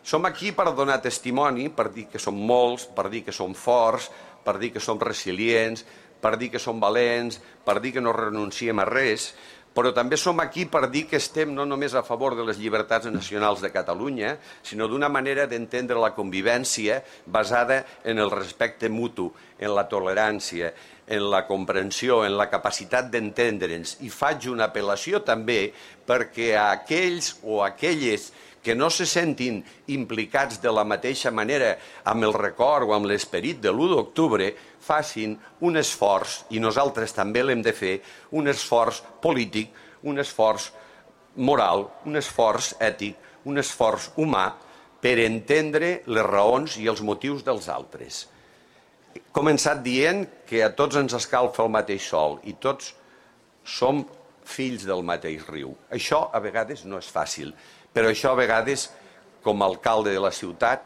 Som aquí per donar testimoni, per dir que som molts, per dir que som forts, per dir que som resilients, per dir que som valents, per dir que no renunciem a res, però també som aquí per dir que estem no només a favor de les llibertats nacionals de Catalunya, sinó d'una manera d'entendre la convivència basada en el respecte mutu, en la tolerància, en la comprensió, en la capacitat d'entendre'ns. I faig una apel·lació també perquè a aquells o aquelles que no se sentin implicats de la mateixa manera amb el record o amb l'esperit de l'1 d'octubre, facin un esforç, i nosaltres també l'hem de fer, un esforç polític, un esforç moral, un esforç ètic, un esforç humà per entendre les raons i els motius dels altres. He començat dient que a tots ens escalfa el mateix sol i tots som fills del mateix riu. Això a vegades no és fàcil, però això a vegades, com a alcalde de la ciutat,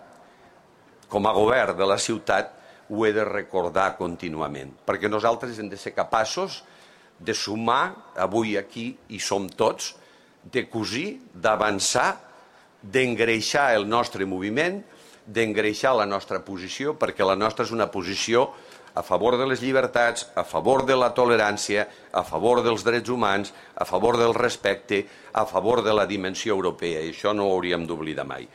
com a govern de la ciutat, ho he de recordar contínuament, perquè nosaltres hem de ser capaços de sumar, avui aquí hi som tots, de cosir, d'avançar, d'engreixar el nostre moviment, d'engreixar la nostra posició, perquè la nostra és una posició a favor de les llibertats, a favor de la tolerància, a favor dels drets humans, a favor del respecte, a favor de la dimensió europea, i això no ho hauríem d'oblidar mai.